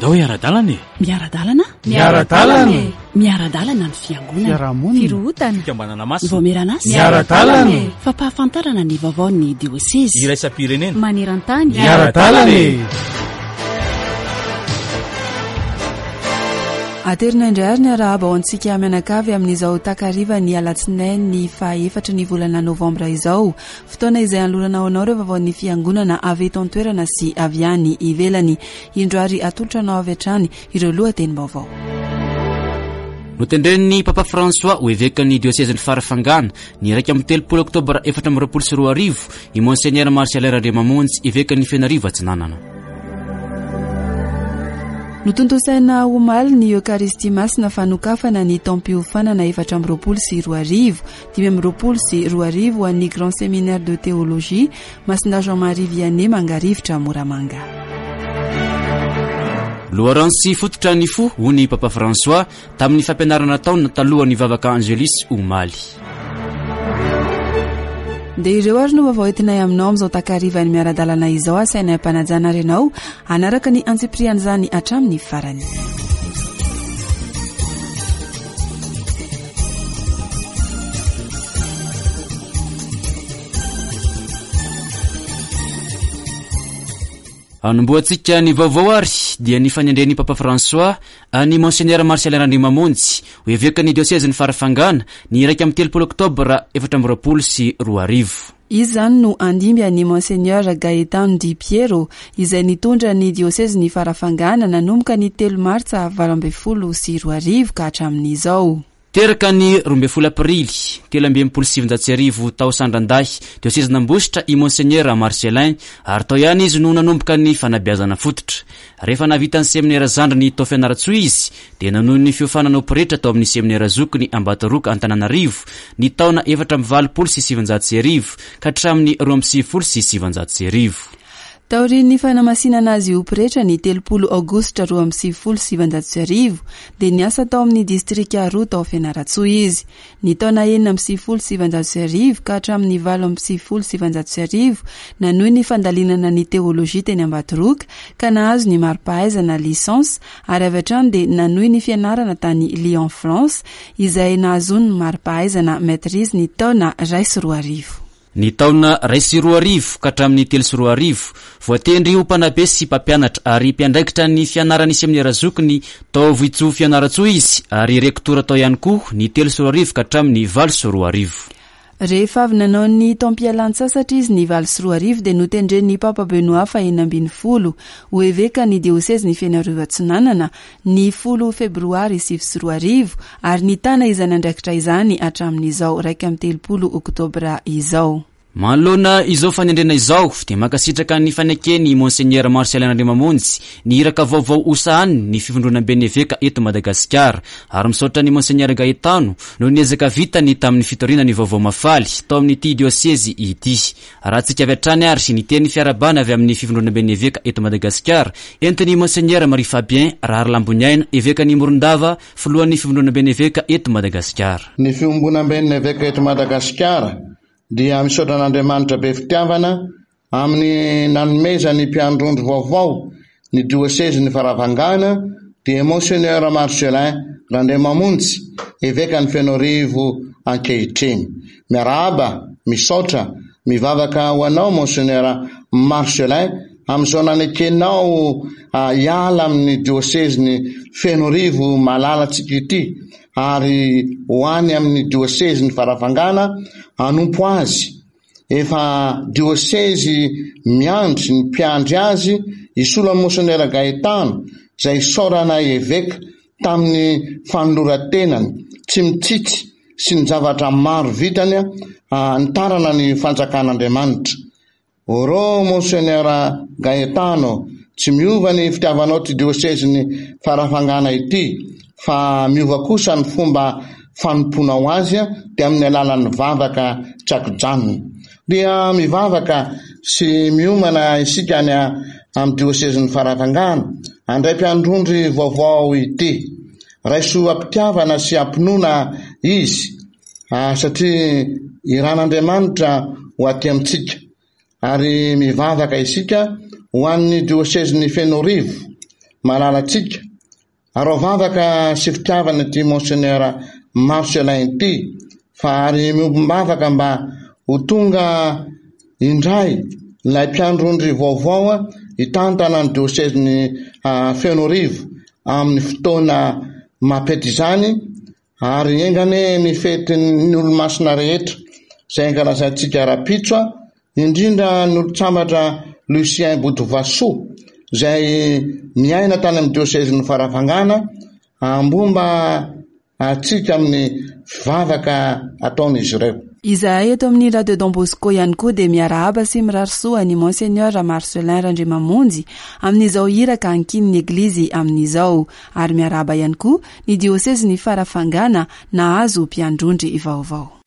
Andao hiara-dalana e! Miara-dalana? Miara-dalana e! Miara-dalana ny fiangonana. Fiarahamonina. Firohotana. Fikambanana masina. Ny vaomieran'asa. Miara-dalana e! Fampahafantarana ny vaovaon'ny diosezy. Iraisam-pirenena. Maneran-tany. Miara-dalana e! Aterina indray ary ny arahaba ho antsika mianakavy amin'izao takarivan'ny alatsinainy faha-efatry ny volana novambra izao. Fotoana izay hanolorana ho anao ireo vaovaon'ny Fiangonana avy eto an-toerana sy avy any ivelany. Indro ary atolotra anao avy hatrany ireo lohatenim-baovao. Notendren'ny Papa François ho evekan'ny diosezin'i Farafangana ny 31 oktobra 2024 i Monseigneur Marcellin Randriamamonjy, evekan'i Fenarivo Atsinanana. Notontosaina omaly ny Eokaristia Masina fanokafana ny taom-piofanana 2024. 2025 ho an'ny Grand Séminaire de Théologie Masina Jean Marie Vianney Mangarivotra Moramanga. Loharano sy fototra ny fo, hoy ny Papa François tamin'ny fampianarana nataony talohan'ny vavaka Angelus omaly. Dia ireo ary no vaovao entinay aminao amin'izao takarivan'ny miara-dalana izao. Asainay am-panajana ary ianao hanaraka ny antsipirian'izany hatramin'ny farany. Anombohantsika ny vaovao ary dia ny fanendren'ny Papa François an'i Monseigneur Marcellin Randriamamonjy ho evekan'ny diosezin'i Farafangana ny 31 oktobra 2024. Izy izany no handimby an'i Monseigneur Gaetano Di Piero izay nitondra ny diosezin'i Farafangana nanomboka ny telo martsa 2018 ka hatramin'izao. Teraka ny 12 aprily 1963 tao Sandrandahy, diosezin'Ambositra i Monseigneur Marcellin ary tao ihany izy no nanomboka ny fanabeazana fototra. Rehefa nahavita ny seminera zandriny tao Fianarantsoa izy dia nanohy ny fiofanana ho pretra tao amin'ny seminera zokiny Ambatoroka Antananarivo ny taona 1984 ka hatramin'ny 1992. Taorian'ny fanamasinana azy ho pretra ny 30 aogositra 1992 dia niasa tao amin'ny distrika roa tao Fianarantsoa izy. Ny taona 1996 ka hatramin'ny 1998, nanohy ny fandalinana ny teolojia teny Ambatoroka ka nahazo ny mari-pahaizana licence ary avy hatrany dia nanohy ny fianarana tany Lyon France izay nahazoany ny mari-pahaizana maîtrise ny taona 2001. Ny taona 2001 ka hatramin'ny 2003, voatendry ho mpanabe sy mpampianatra ary mpiandraikitra ny fianaran'ny seminera zokiny tao Vohitsoa Fianarantsoa izy ary rektora tao ihany koa ny 2003 ka hatramin'ny 2008. Rehefa avy nanao ny taom-pialan-tsasatra izy ny 2008 dia notendren'ny Papa Benoît fahenina ambin'ny folo ho evekan'ny diosezin'i Fenoarivo Atsinanana ny folo febroary 2009 ary nitana izany andraikitra izany hatramin'izao 31 oktobra izao. Manoloana izao fanendrena izao dia mankasitraka ny faneken'i Monseigneur Marcellin Randriamamonjy ny iraka vaovao hosahaniny ny Fivondronamben'ny Eveka eto Madagasikara ary misaotra an'i Monseigneur Gaetano noho ny ezaka vitany tamin'ny fitoriana ny vaovao mahafaly tao amin'ity diosezy ity. Arahantsika avy hatrany ary ny teny fiarahabana avy amin'ny Fivondronamben'ny Eveka eto Madagasikara entin'i Monseigneur Marie Fabien Raharilamboniaina, Evekan'i Morondava, Filohan'ny Fivondronamben'ny Eveka eto Madagasikara. Ny Fiombonamben'ny Eveka eto Madagasikara dia misaotra an'Andriamanitra be fitiavana amin'ny nanomezany mpiandrondro vaovao ny diosezin'i Farafangana dia Monseigneur Marcellin Randriamamonjy, Evekan'i Fenoarivo ankehitriny. Miarahaba, misaotra, mivavaka ho anao Monseigneur Marcellin amin'izao nanekenao hiala amin'ny diosezin'i Fenoarivo malalantsika ity ary ho any amin'ny diosezin'i Farafangana hanompo azy. Efa diosezy miandry ny mpiandry azy hisolo an'i Monseigneur Gaetano izay isaoranay eveka tamin'ny fanoloran-tenany tsy mitsitsy sy ny zavatra maro vitany nitarana ny fanjakan'Andriamanitra. Oro Monseigneur Gaetano, tsy miova ny fitiavanao ity diosezin'i Farafangana ity fa miova kosa ny fomba fanompoanao azy dia amin'ny alalan'ny vavaka tsy ankijanona. Dia mivavaka sy miomana isika any amin'ny diosezin'i Farafangana handray mpiandrondry vaovao ity. Raiso am-pitiavana sy am-pinoana izy satria iran'Andriamanitra ho aty amintsika. Ary mivavaka isika ho an'ny diosezin'i Fenoarivo. malalantsika. Araho vavaka sy fitiavana ity Monseigneur Marcellin ity fa ary miombom-bavaka mba ho tonga indray ilay mpiandry ondry vaovao hitantana ny diosezin'i Fenoarivo amin'ny fotoana mampety izany ary enga anie ny fetin'ny olomasina rehetra izay ankalazaintsika rahampitso indrindra ny olon-tsambatra Lucien Botovasoa izay miaina tany amin'ny diosezin'i Farafangana ambomba antsika amin'ny vavaka ataon'izy ireo. Izahay eto amin'ny Radio Don Bosco ihany koa dia miarahaba sy mirary soa an'i Monseigneur Marcellin Randriamamonjy amin'izao iraka ankinin'ny Eglizy amin'izao ary miarahaba ihany koa ny diosezin'i Farafangana nahazo mpiandrondry vaovao.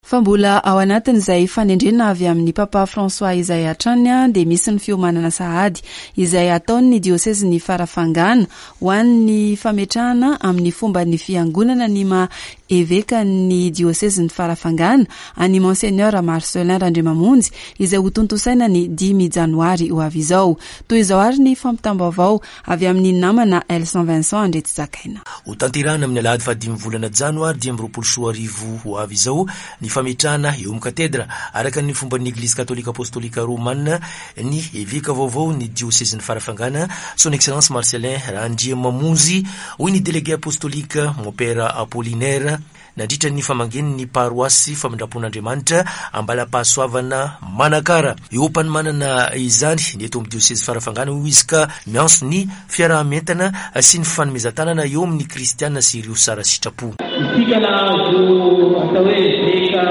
Fa mbola ao anatin'izay fanendrena avy amin'ny Papa François izay hatrany dia misy ny fiomanana sahady izay ataon'ny diosezin'i Farafangana ho an'ny fametrahana amin'ny fomban'ny fiangonana ny maha Evekan'ny diosezin'i Farafangana, an'i Monseigneur Marcellin Randriamamonjy, izay hotontosaina ny dimy janoary ho avy izao. Toy izao àry ny fampitam-baovao avy amin'ny namana Elson Vincent Andriatsizakaina. Hotanterahina amin'ny alahady fahadimy volana janoary 2025 ho avy izao ny fametrahana eo amin'ny katedra, araka ny fomban'ny Eglizy Katolika Apostolika Romana, ny eveka vaovao ny diosezin'i Farafangana, Son Excellence Marcellin Randriamamonjy, hoy ny Délégué Apostolique Mompera Apollinaire nandritra ny famangiany ny paroasy Famindrampon'Andriamanitra Ambalapahasoavana Manakara. Eo am-panomanana izany ny eto amin'ny diosezy Farafangana hoy izy ka miantso ny fiaraha-mientana sy ny fanomezan-tanana eo amin'ny kristiana sy ireo sara sitrapo. Isika nahazo atao hoe eveka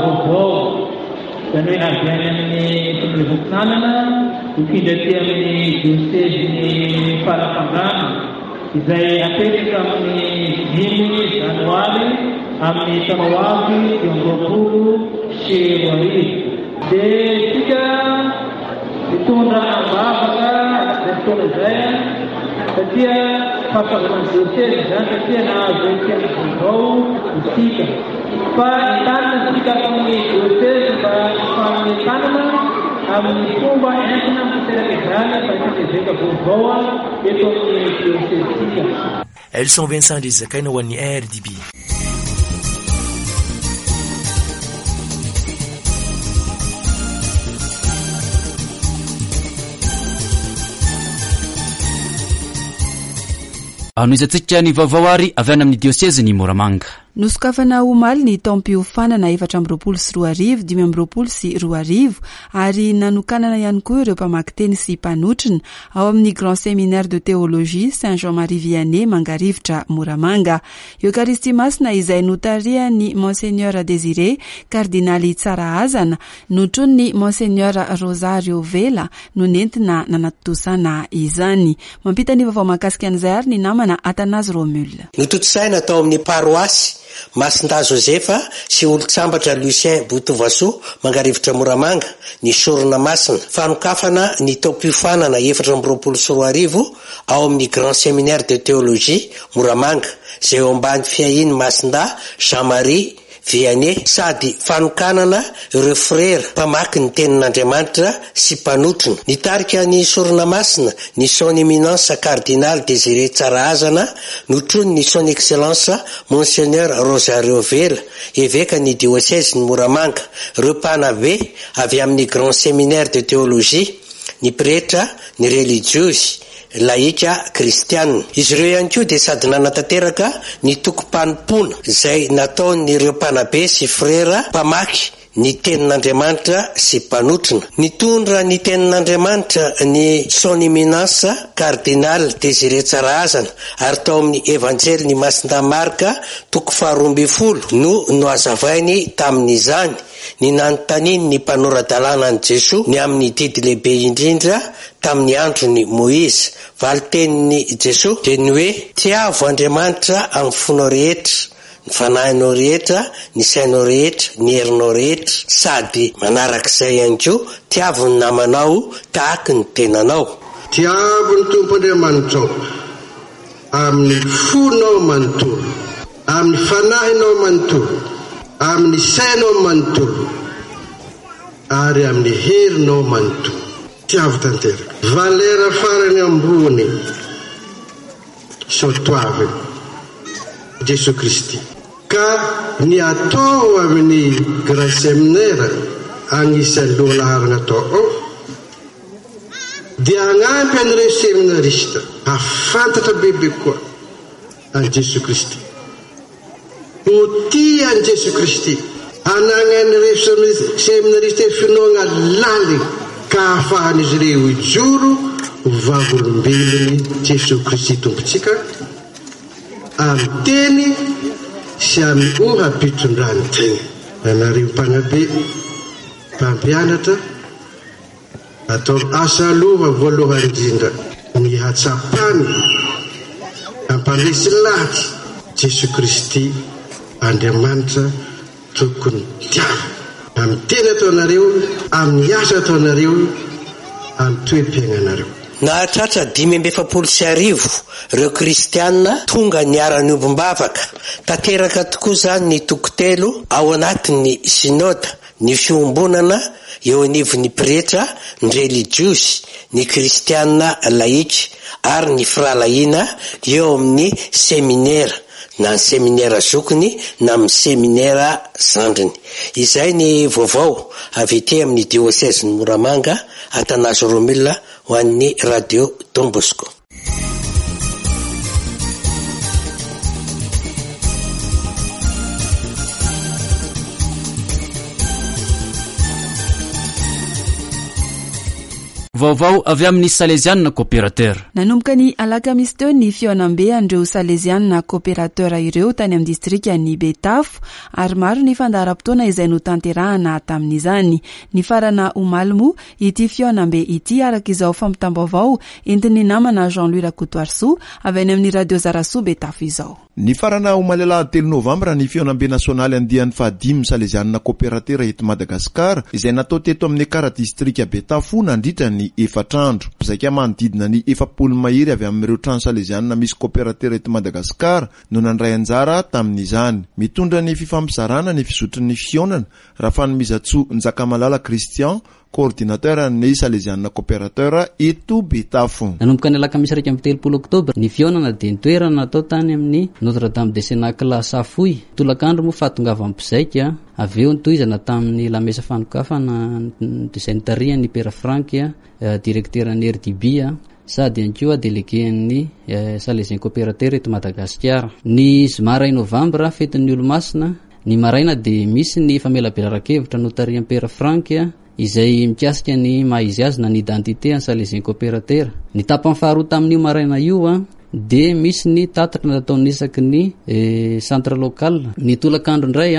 vaovao, izany hoe avy any amin'ny Filoham-pitanana hifindra aty amin'ny diosezin'i Farafangana, izay hapetraka amin'ny dimy janoary amin'ny taona ho avy 2025. Dia isika mitondra am-bavaka izay fotoana izay satria fahasoavana ny diosezy izany satria nahazo mpiandry vaovao isika. Fa entanina isika ato amin'ny diosezy mba hifanome tanana amin'ny fomba entina mitateraka izany fandraisana eveka vaovao eto amin'ny diosezintsika. Elson Vincent Andrizakaina ho an'ny RDB. Anohizantsika ny vaovao ary avy any amin'ny diosezin'i Moramanga. Nosokafana omaly ny taom-piofanana 2024, 2025 ary nanokanana ihany koa ireo mpamaky teny sy mpanotrona ao amin'ny Grand Séminaire de Théologie Saint Jean Marie Vianney Mangarivotra Moramanga. Eokaristia Masina izay notarihan'ny Monseigneur Désiré Kardinaly Tsarahazana, notronin'ny Monseigneur Rosario Vela no nentina nanatontosana izany. Mampita ny vaovao mahakasika an'izay ary ny namana Athanase Romule. Notontosaina tao amin'ny paroasy Masindahy Josefa sy Olontsambatra Lucien Botovasoa Mangarivotra Moramanga ny Sorona Masina, fanokafana ny taom-piofanana 2024 ao amin'ny Grand Séminaire de Théologie Moramanga, izay eo ambany fiahian'i Masindahy Jean Marie Vianney, sady fanokanana ireo frera mpamaky ny Tenin'Andriamanitra sy mpanotrona. Nitarika ny Sorona Masina ny Son Eminence Cardinal Désiré Tsarahazana, notronin'ny Son Excellence Monseigneur Rosario Vela, Evekan'ny Diosezin'i Moramanga, ireo mpanabe avy amin'ny Grand Séminaire de Théologie, ny pretra, ny relijiozy, laika kristiana. Izy ireo ihany koa dia sady nanatanteraka ny tokim-panompoana izay nataon'ireo mpanabe sy frera mpamaky ny Tenin'Andriamanitra sy mpanotrona. Nitondra ny Tenin'Andriamanitra ny Son Eminence Cardinal Désiré Tsarahazana ary tao amin'ny Evanjelin'i Masindahy Marka toko faharoambinifolo no nohazavainy tamin'izany ny nanontanian'ny mpanora-dalàna an'i Jesoa ny amin'ny didy lehibe indrindra tamin'ny andron'i Moizy. Valin-tenin'i Jesoa dia ny hoe, Tiavo Andriamanitra amin'ny fonao rehetra, ny fanahinao rehetra, ny sainao rehetra, ny herinao rehetra, sady manarak'izay ihany koa, tiavo ny namanao tahaky ny tenanao. Tiavo ny Tompo Andriamanitrao amin'ny fonao manontolo. Amin'ny fanahinao manontolo, amin'ny sainao manontolo, ary amin'ny herinao manontolo. Tiavo tanteraka. Valera farany ambony, soatoavina, Jesoa Kristy. Ka ny atao amin'ny Grand Seminaire agnisan'ny lohalaharana atao ao dia hagnampy an'ireo seminarista hahafantatra bebe kokoa an'i Jesoa Kristy. Ho tia an'i Jesoa Kristy. Anagnan'ireo seminarista finoagna laligny ka ahafahan'izy ireo hijoro ho vavolombelon'i Jesoa Kristy Tompontsika amin'ny teny sy amin'ny oha-pitondran-tegna. Anareo mpanabe, mpampianatra, Ataovy asa aloha voalohany indrindra ny hatsapana hampandresy lahatsy Jesoa Kristy Andriamanitra tokony tiavina amin'ny teny ataonareo, amin'ny asa ataonareo, amin'ny toe-piainanareo. Nahatratra 1045 ireo kristiana tonga niara-niombom-bavaka. Tanteraka tokoa izany ny toko telo ao anatin'ny Synoda Ny fiombonana eo anivon'ny pretra, ny relijiozy, ny kristiana laika ary ny firahalahiana eo amin'ny seminera, na ny seminera zokiny na amin'ny seminera zandriny. Izay ny vaovao avy ety amin'ny diosezin'i Moramanga, Athanase Romule ho an'ny Radio Don Bosco. Vaovao avy amin'ny Salezianina Coopérateur. Nanomboka ny alakamisy teo ny fihaonambe an'ireo Salezianina Coopérateur ireo tany amin'ny distrikan'i Betafo ary maro ny fandaharam-potoana izay notanterahana tamin'izany. Nifarana omaly moa ity fihaonambe ity araka izao fampitam-baovao entin'ny namana Jean Louis Rakotoarisoa avy any amin'ny Radio Zarasoa Betafo izao. Nifarana omaly alahady telo novambra ny fihaonambe nasionaly andiany fahadimy Salezianina Koperatera eto Madagasikara izay natao teto amin'ny Ekara Distrika Betafo nandritra ny efatra andro. Mpizaika manodidina ny 40 mahery avy amin'ireo trano Salezianina misy koperatera eto Madagasikara no nandray anjara tamin'izany. Mitondra ny fifampizarana ny fizotry ny fihaonana Rafanomezantsoa Njakamalala Christian, coordinateur ny Salezianina Coopérateur eto Betafo. Nanomboka ny alakamisy 31 oktobra ny fihaonana dia ny toerana natao tany amin'ny Notre Dame de Cenacle Safoy. Tolakandro moa fahatongavan'ny mpizaika, avy eo nitohizana tamin'ny lamesa fanokafana izay notarihan'ny Père Franck, direkteran'ny RDB sady ihany koa delegen'ny Salésien Coopérateur eto Madagasikara. Ny zoma iray novambra, fetin'ny Olomasina, Ny maraina dia misy ny famelabelaran-kevitra notarihan'i Père Franck izay mikasika ny maha izy azy na ny identité an'ny Salésien Coopérateur. Ny tapany faharoa tamin'io maraina io dia misy ny tatitra nataon'ny isaky ny centre local. Ny tolakandro indray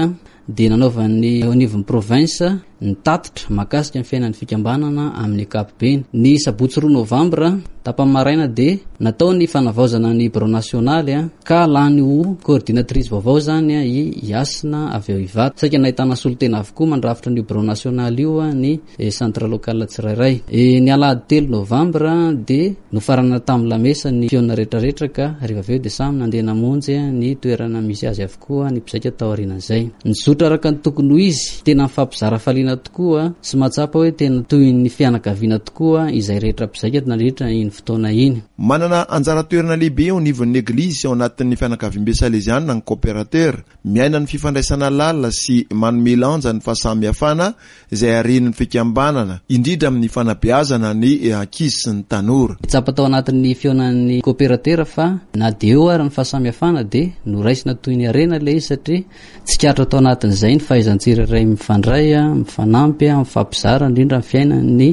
dia nanaovan'ny eo anivon'ny province ny tatitra mahakasika ny fiainan'ny fikambanana amin'ny ankapobeny. Ny sabotsy roa novambra, tapany maraina dia natao ny fanavaozana ny birao nasionaly ka lany ho coordinatrice vaovao izany i Hasina avy ao Ivato. Saika nahitana solontena avokoa mandrafitra an'io birao nasionaly io ny centre local tsirairay. Ny alahady telo novambra dia nofaranana tamin'ny lamesa ny fihaonana rehetrarehetra ka rehefa avy eo dia samy nandeha namonjy ny toerana misy azy avokoa. koa ny mpizaika taorianan'izay. Nizotra araka ny tokony ho izy, tena nifampizara hafaliana tokoa sy mahatsapa hoe tena toy ny fianakaviana tokoa izay rehetra mpizaika nandritra iny fotoana iny. Manana anjara toerana lehibe eo anivon'ny Eglizy sy ao anatin'ny fianakaviambe saleziana ny Coopérateur. Miaina ny fifandraisana lalina sy manome lanja ny fahasamihafana izay haren'ny fikambanana, indrindra amin'ny fanabeazana ny ankizy sy ny tanora. Tsapa tao anatin'ny fihaonan'ny kaoperatera fa na dia eo ary ny fahasamihafana dia noraisina toy ny harena ilay izy satria tsikaritra tao anatin'izay ny fahaizan'ny tsirairay mifandray, mifanampy, mifampizara indrindra ny fiainan'ny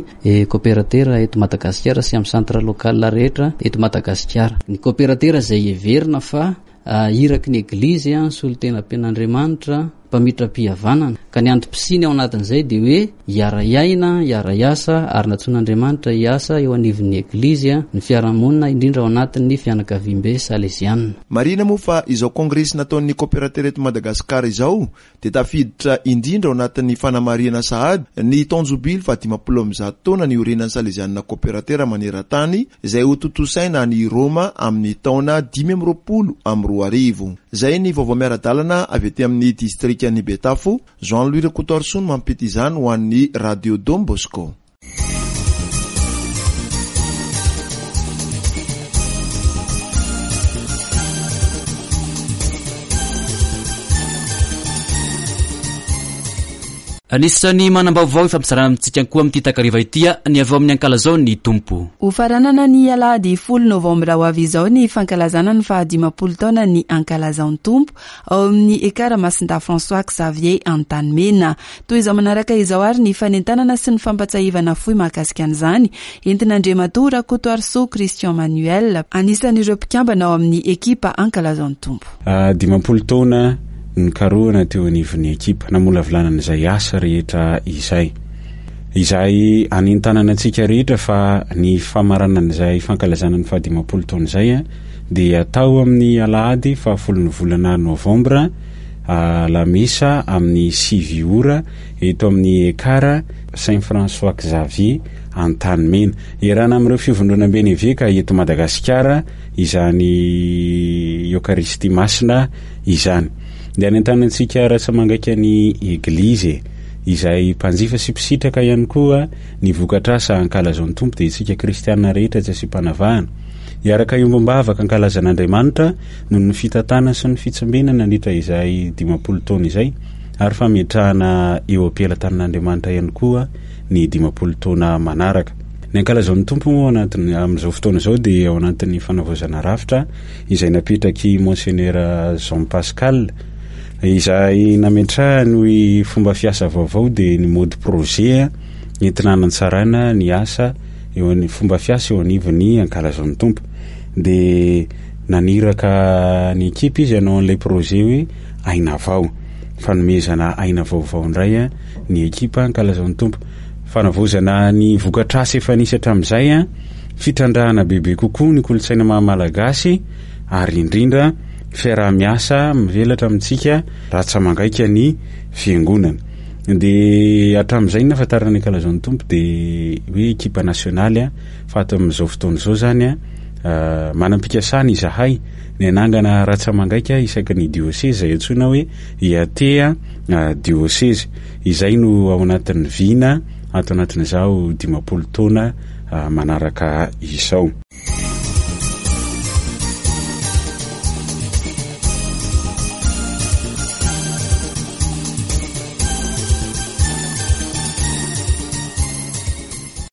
kaoperatera eto Madagasikara sy amin'ny centre local rehetra eto Madagasikara. Ny kaoperatera izay heverina fa iraky ny Eglizy, solontenam-pen'Andriamanitra. mpamitram-pihavanana. Ka ny antom-pisiany ao anatin'izay dia hoe hiara-hiaina, hiara-hiasa ary nantsoin'Andriamanitra hiasa eo anivon'ny Eglizy, ny fiarahamonina, indrindra ao anatin'ny fianakaviambe saleziana. Marihina moa fa izao kongresy nataon'ny Kaoperatera eto Madagasikara izao dia tafiditra indrindra ao anatin'ny fanamarihana sahady ny taon-jobily faha-150 taona niorenan'ny Salezianina Kaoperatera maneran-tany izay hotontosaina any Roma amin'ny taona 2025. Izay ny vaovao miara-dalana avy aty amin'ny distrikan'i Betafo. Jean Louis Rakotoarisoa no mampita izany ho an'ny Radio Don Bosco. Anisan'ny manam-baovao ifampizarana amintsika koa amin'ity takariva ity ny avy ao amin'ny Ankalazao ny Tompo. Hofaranana ny alahady folo novambra ho avy izao ny fankalazana ny fahadimampolo taonan'ny Ankalazao ny Tompo ao amin'ny Ekara Masindahy François Xavier Antanimena. Toy izao manaraka izao ary ny fanentanana sy ny fampatsiahivana fohy mahakasika an'izany, entin'Andriamatoa Rakotoarisoa Christian Manuel, anisan'ireo mpikambana ao amin'ny ekipa Ankalazao ny Tompo. 50 taona nikarohana teo anivon'ny ekipa, namolavolana an'izay asa rehetra izay. Izay anentanana antsika rehetra fa ny famaranan'izay fankalazana ny fahadimampolo taona izay dia atao amin'ny alahady fahafolon'ny volana novambra Lamesa amin'ny sivy ora eto amin'ny Ekar Saint François Xavier Antanimena. Iarahana amin'ireo fivondronamben'ny eveka eto Madagasikara izany Eokaristia Masina izany. Dia anentanantsika ratsa-mangaika ny Eglizy e, izay mpanjifa sy mpisitraka ihany koa ny vokatr'asa ankalazao ny Tompo dia isika kristiana rehetra tsy asiam-panavahana. Hiaraka hiombom-bavaka ankalaza an'Andriamanitra noho ny fitantana sy ny fitsimbenana nandritra izay 50 taona izay ary fametrahana eo am-pelatanan'Andriamanitra ihany koa ny 50 taona manaraka. Ny ankalazan'ny Tompo moa anatin'ny amin'izao fotoana izao dia ao anatin'ny fanavaozana rafitra izay napetrak'i Monseigneur Jean Pascal izay nametrahany ny fomba fiasa vaovao dia ny mode projet entina hanatsarana ny asa eo ny fomba fiasa eo anivon'ny ankalazan'ny Tompo. Dia Naniraka ny ekipa izy hanao an'ilay projet hoe Aina Vao. Fanomezana aina vaovao indray ny ekipa ankalazao ny Tompo. Fanavaozana ny vokatr'asa efa nisy hatramin'izay, fitrandrahana bebe kokoa ny kolontsaina maha malagasy ary indrindra fiaraha-miasa mivelatra amintsika ratsa-mangaika ny fiangonana. Dia hatramin'izay ny nahafantarana ny ankalazao ny Tompo dia hoe ekipa nasionaly fa ato amin'izao fotoana izao izany Manam-pikasana izahay ny hanangana ratsa-mangaika isaky ny diosezy izay antsoina hoe IAT diosezy. Izay no ao anatin'ny vina ato anatin'izao 50 taona manaraka izao.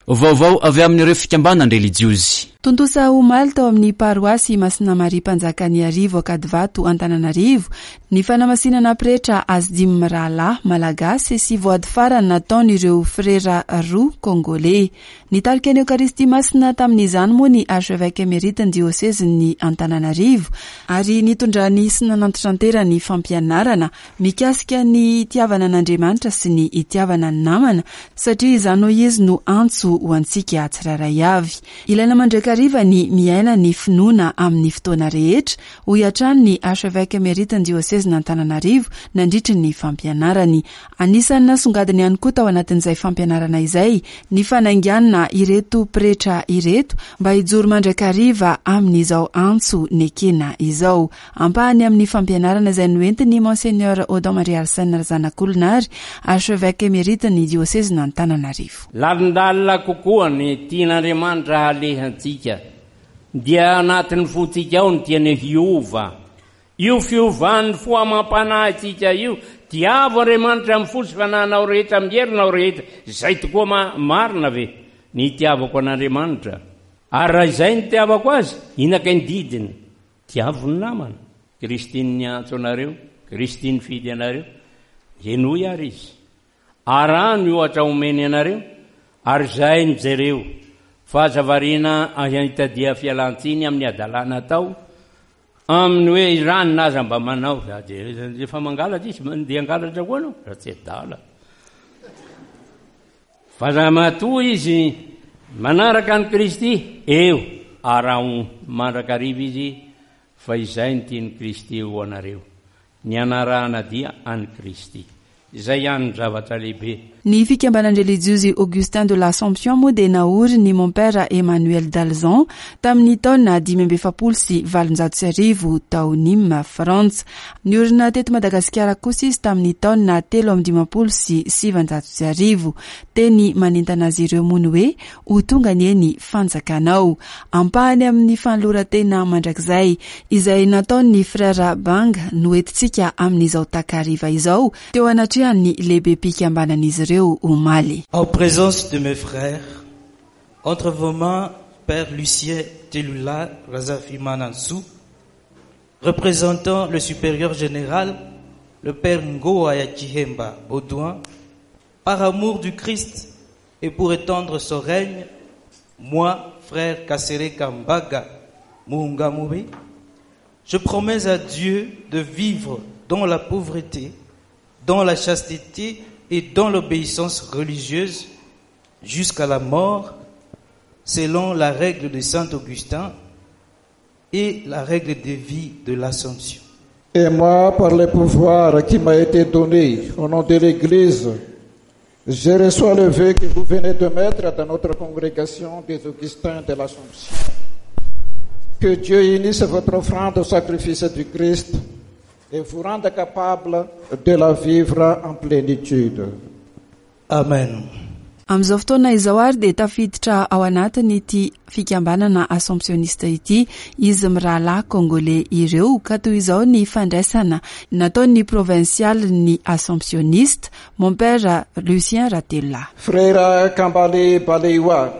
Vaovao avy amin'ireo fikambanan-drelijiozy. Tontosa omaly tao amin'ny paroasy Masina Maria Mpanjakan'Iarivo Ankadivato Antananarivo ny fanamasinana pretra Asdim Mirahalahy Malagasy sy voady farany nataon'ireo frera roa Kongoley. Nitarika ny Eokaristia Masina tamin'izany moa ny Archevêque Emerite ny diosezin'ny Antananarivo ary nitondrany sy nanantitranterany fampianarana Mikasika ny hitiavana an'Andriamanitra sy ny hitiavana ny namana, satria izany hoy izy no antso ho antsika tsirairay avy. Ilaina mandrakariva ny miaina ny finoana amin'ny fotoana rehetra, hoy hatrany ny Archevêque Emerite ny Diosezin'Antananarivo nandritry ny fampianarany. Anisan'ny nasongadiny ihany koa tao anatin'izay fampianarana izay ny fanainganana ireto pretra ireto mba hijoro mandrakariva amin'izao antso nekena izao. Ampahany amin'ny fampianarana izay noentin'ny Monseigneur Odon Marie Arsène Razanakolona ary Archevêque Emerite ny Diosezin'Antananarivo. Lalindalina kokoa ny tian'Andriamanitra halehantsika, dia anatin'ny fontsika ao ny tiany hiova. Io fiovan'ny fo amam-panahintsika io, tiavo Andriamanitra amin'ny fo sy fanahinao rehetra, amin'ny herinao rehetra. Izay tokoa ma, marina ve ny itiavako an'Andriamanitra? Ary raha izay no itiavako Azy, inona kay ny didiny? Tiavo ny namana. Kristy niantso anareo, Kristy nifidy anareo, henoy ary Izy. Araho ny ohatra omeny anareo, ary izay no jereo, fa aza variana ahitadia fialan-tsiny amin'ny hadalana atao. Amin'ny hoe i ranona aza mba manao, za dia efa mangalatra izy, mandeha hangalatra koa anao, raha tsy adala. Fa raha matoa izy manaraka an'i Kristy, eo, araho mandrakariva izy, fa izay no tian'i Kristy ho anareo. Ny hanarahana dia an'i Kristy. Izay ihany no zavatra lehibe. Ny fikambanan-drelijiozy Augustin de l'Assomption moa dia naorin'i Mompera Emmanuel d'Alzon tamin'ny taona 1845 tao Nîmes, Frantsa. Niorina teto Madagasikara kosa izy tamin'ny taona 1953. Teny manentana azy ireo moa ny hoe Ho tonga anie ny fanjakanao. Ampahany amin'ny fanoloran-tena mandrakizay izay nataon'ny Frère Bang no entintsika amin'izao takariva izao teo anatrehan'ny lehibem-pikambanan'izy ireo omaly. En présence de mes frères, entre vos mains Père Lucien Telula Razafimanantsoa, représentant le supérieur général, le Père Ngoa Yakihemba Baudouin, par amour du Christ et pour étendre son règne, moi, frère Kasereka Mbaga Muhungamuri, je promets à Dieu de vivre dans la pauvreté, dans la chasteté et dans l'obéissance religieuse jusqu'à la mort, selon la règle de Saint Augustin et la règle de vie de l'Assomption. Et moi, par le pouvoir qui m'a été donné au nom de l'Église, je reçois le vœu que vous venez de mettre dans notre congrégation des Augustins de l'Assomption. Que Dieu unisse votre offrande au sacrifice du Christ et vous rende capable de la vivre en plénitude. Amen. Amin'izao fotoana izao ary dia tafiditra ao anatin'ity fikambanana Assomptionniste ity izy mirahalahy Congolais ireo ka toy izao ny fandraisana nataon'ny provincialin'ny Assomptionniste, Mompera Lucien Ratelolahy. Frera Kambale Balewa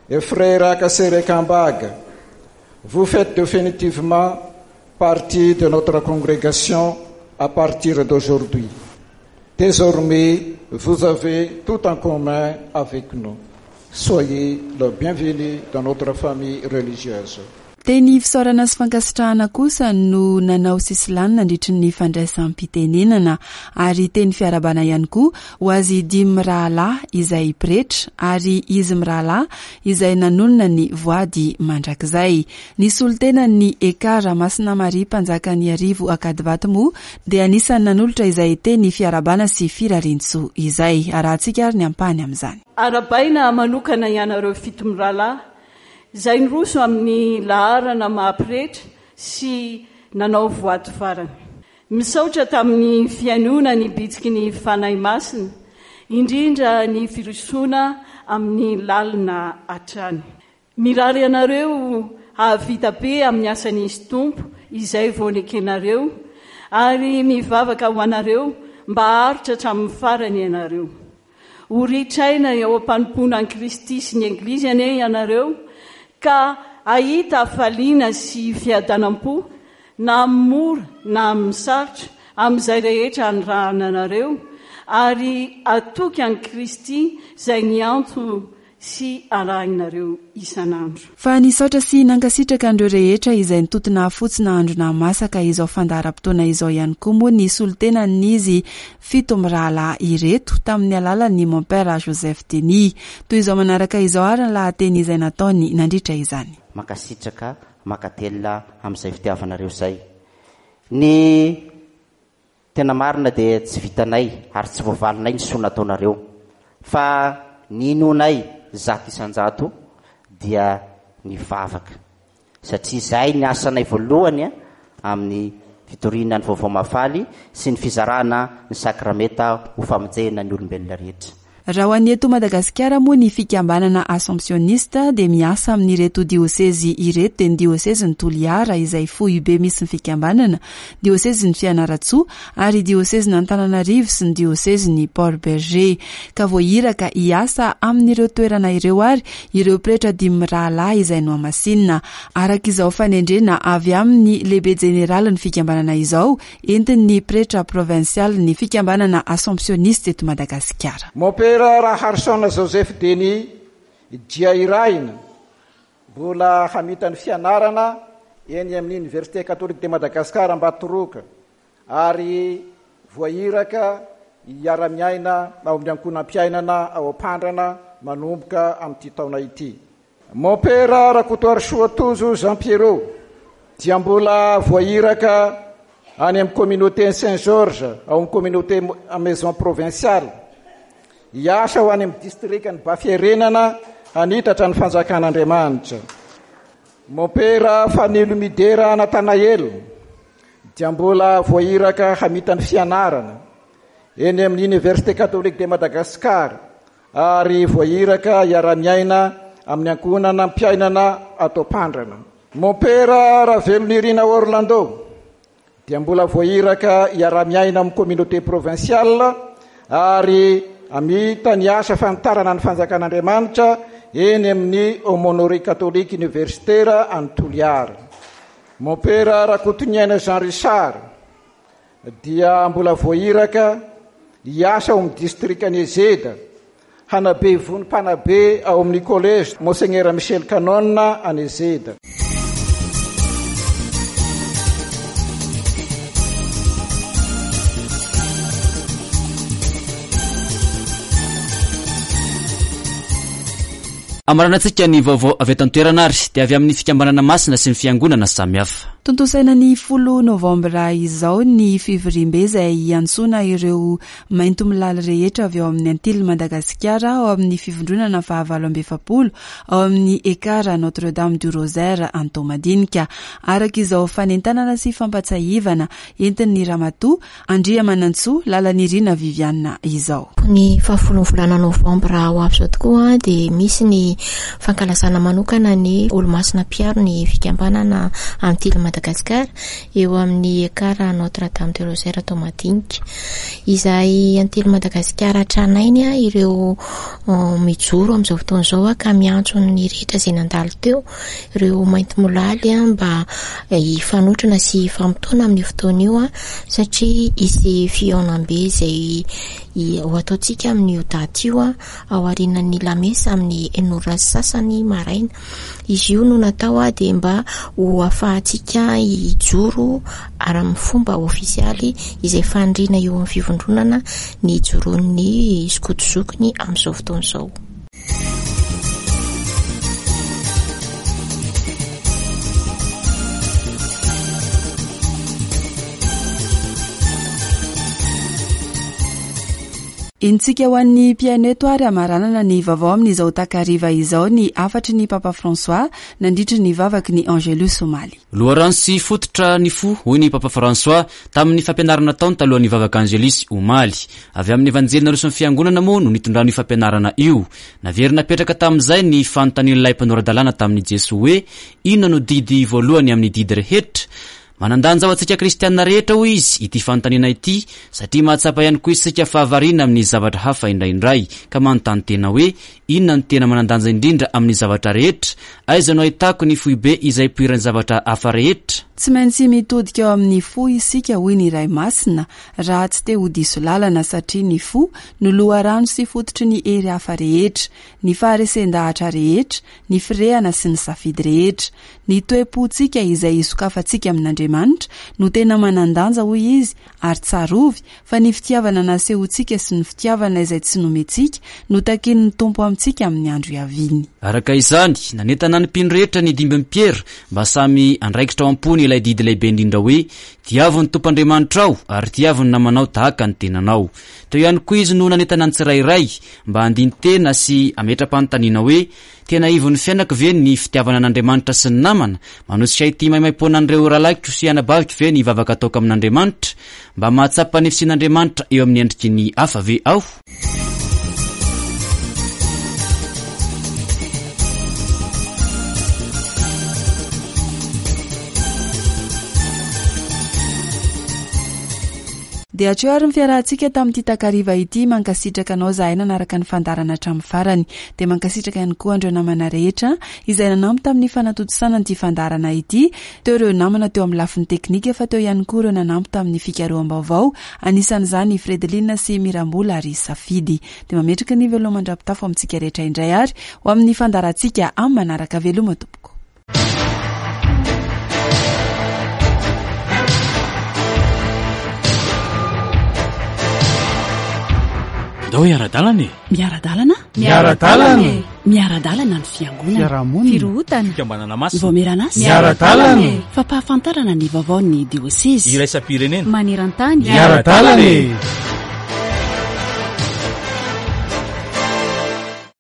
et Frera Kasere Kambag, vous faites définitivement partie de notre congrégation à partir d'aujourd'hui. Désormais, vous avez tout en commun avec nous. Soyez le bienvenu dans notre famille religieuse. Teny fisaorana sy fankasitrahana kosa no nanao sesilany nandritry ny fandraisam-pitenenana ary teny fiarahabana ihany koa ho azy dimy mirahalahy izay pretra ary izy mirahalahy izay nanonona ny voady mandrakizay. Ny solontenan'ny Ekar Masina Maria Mpanjakan'Iarivo Ankadivato moa dia anisan'ny nanolotra izay teny fiarahabana sy firariantsoa izay. Arahantsika ary ny ampahany amin'izany. Arahabaina manokana ianareo fitomirahalahy izay niroso amin'ny laharana maha pretra sy nanao voady farany. Misaotra tamin'ny fihainoana ny bitsiky ny Fanahy Masina, indrindra ny firosoana amin'ny lalina hatrany. Mirary anareo hahavita be amin'ny asan'Izy Tompo izay vao nekenareo ary mivavaka ho anareo mba haharitra hatramin'ny farany ianareo. Ho ritraina eo am-panompoana an'i Kristy sy ny Eglizy anie ianareo ka hahita hafaliana sy fiadanam-po na amin'ny mora na amin'ny sarotra amin'izay rehetra anirahana anareo ary hatoky an'i Kristy izay niantso sy arahinareo isan'andro. Fa nisaotra sy nankasitraka an'ireo rehetra izay nitoto nahafotsy nahandro nahamasaka izao fandaharam-potoana izao ihany koa moa ny solontenan'izy fitomirahalahy ireto tamin'ny alalan'ny Mompera Joseph Denis. Toy izao manaraka izao ary ny lahateny izay nataony nandritra izany. Mankasitraka mankatelina amin'izay fitiavanareo izay. Ny Tena marina dia tsy vitanay ary tsy voavalinay ny soa nataonareo fa ny inoanay 100% dia ny vavaka satria izay ny asanay voalohany amin'ny fitoriana ny vaovao mahafaly sy ny fizarana ny sakramenta ho famonjena ny olombelona rehetra. Raha ho an'ny eto Madagasikara moa ny fikambanana Assomptionniste dia miasa amin'ireto diosezy ireto dia ny diosezin'i Toliara izay foibe misy ny fikambanana, diosezin'i Fianarantsoa ary diosezin'Antananarivo sy ny diosezin'i Port Bergé. Ka voahiraka hiasa amin'ireo toerana ireo ary ireo pretra dimy mirahalahy izay nohamasinina araka izao fanendrena avy amin'ny lehibe jeneralin'ny fikambanana izao Entin'ny pretra provinsialin'ny fikambanana Assomptioniste eto Madagasikara. Mompera Raharison Joseph Denis dia irahina mbola hamita ny fianarana eny amin'ny Université Catholique de Madagascar Ambatoroka ary voahiraka hiara-miaina ao amin'ny ankohonam-piainana ao Ampandrana manomboka amin'ity taona ity. Mompera Rakotoarisoa Tojo Jean Pierrot dia mbola voahiraka any amin'ny communauté Saint Georges ao amin'ny communauté Maison Provinciale hiasa ho any amin'ny distrikan'i Bafierenana hanitatra ny fanjakan'Andriamanitra. Mompera Fanilo Midera Nathanael dia mbola voahiraka hamita ny fianarana eny amin'ny Université Catholique de Madagascar ary voahiraka hiara-miaina amin'ny ankohonana mpiainana ato Ampandrana. Mompera Ravelonirina Orlando dia mbola voahiraka hiara-miaina amin'ny communauté provinciale ary hamita ny asa fanitarana ny fanjakan'Andriamanitra eny amin'ny Aumônerie Catholique Universitaire any Toliara. Mompera Rakotoniaina Jean Richard dia mbola voahiraka hiasa ao amin'ny distrikan'i Ezeda, hanabe vono mpanabe ao amin'ny Collège Monseigneur Michel Canon any Ezeda. Amaranantsika ny vaovao avy eto an-toerana ary dia avy amin'ny fikambanana masina sy ny fiangonana samihafa. Tontosaina ny folo novambra izao ny fivoriambe izay hiantsoana ireo maintomilaly rehetra avy ao amin'ny Antilles Madagasikara ao amin'ny fivondronana fahavalo amby 40 ao amin'ny Ekar Notre Dame du Rosaire Antohomadinika. Araka izao fanentanana sy fampatsahivana entin'ny Ramatoa Andriamanantsoa Lalanirina Viviane izao. Ny fahafolon'ny volana novambra ho avy izao tokoa dia misy ny fankalazana manokana ny Olomasina mpiaro ny fikambanana Antily Madagascar eo amin'ny Ekar Notre Dame de Rosaire Toamadinika. Izay Antily Madagasikara tranainy ireo mijoro amin'izao fotoana izao ka miantso ny rehetra izay nandalo teo ireo maintimolaly mba hifanotrona sy hifamotoana amin'io fotoana io satria hisy fihaonambe izay ho ataontsika amin'io daty io aorianan'ny lamesa amin'ny enina ora sy sasany maraina. Izy io no natao dia mba ho ahafahantsika hijoro ary amin'ny fomba ofisialy izay faniriana eo amin'ny fivondronana ny hijoroan'ny skoto zokiny amin'izao fotoana izao. Entintsika ho an'ny mpihaino eto ary hamaranana ny vaovao amin'izao takariva izao ny hafatry ny Papa François nandritry ny vavaky ny Angelus omaly. Loharano sy fototra ny fo, hoy ny Papa François tamin'ny fampianarana nataony talohan'ny vavaka Angelus omaly. Avy amin'ny Evanjely naroson'ny Fiangonana moa no nitondrany io fampianarana io. Naverina napetraka tamin'izay ny fanontanian'ilay mpanora-dalàna tamin'i Jesoa hoe, Inona no didy voalohany amin'ny didy rehetra? Manan-danja ho antsika kristiana rehetra, hoy izy, ity fanontaniana ity, satria mahatsapa ihany koa isika fa variana amin'ny zavatra hafa indraindray, ka manontany tena hoe, Inona no tena manan-danja indrindra amin'ny zavatra rehetra? Aiza no ahitako ny foibe izay ipoiran'ny zavatra hafa rehetra? Tsy maintsy mitodika ao amin'ny fo isika, hoy ny Ray Masina, raha tsy te ho diso lalana, satria ny fo no loharano sy fototry ny hery hafa rehetra, ny faharesen-dahatra rehetra, ny firehana sy ny safidy rehetra. Ny toe-pontsika izay isokafantsika amin'Andriamanitra no tena manan-danja, hoy izy, ary tsarovy fa ny fitiavana nasehontsika sy ny fitiavana izay tsy nomentsika no takian'ny Tompo amintsika amin'ny andro hiaviany. Araka izany, nanentana ny mpino rehetra ny dimbin'i Piera mba samy handraikitra ao am-pony ilay didy lehibe indrindra hoe, Tiavo ny Tompo Andriamanitrao, ary tiavo ny namanao tahaka ny tenanao. Teo ihany koa izy no nanentana ny tsirairay mba handini-tena sy hametra-panontaniana hoe, Tena ivon'ny fiainako ve ny fitiavana an'Andriamanitra sy ny namana? Manosika ity maimaimpoana an'ireo rahalahiko sy anabaviko ve ny vavaka ataoko amin'Andriamanitra? Mba mahatsapa ny fisian'Andriamanitra eo amin'ny endriky ny hafa ve aho? Dia hatreo ary ny fiarahantsika tamin'ity takariva ity, mankasitraka anao zahay nanaraka ny fandaharana hatramin'ny farany. Dia mankasitraka ihany koa an'ireo namana rehetra izay nanampy tamin'ny fanatontosana an'ity fandaharana ity, teo ireo namana teo amin'ny lafiny teknika fa teo ihany koa ireo nanampy tamin'ny fikaroham-baovao, anisan'izany i Fredeline sy Mirambola ary Safidy. Dia mametraka ny veloma mandra-pitafo amintsika rehetra indray ary ho amin'ny fandaharantsika amin'ny manaraka veloma tompoko. Andao hiara-dalana e! Miara-dalana? Miara-dalana e! Miara-dalana ny fiangonana. Fiarahamonina. Firohotana. Fikambanana masina. Vaomieran'asa. Miara-dalana e! Fampahafantarana ny vaovaon'ny diosezy. Iraisam-pirenena. Maneran-tany. Miara-dalana e!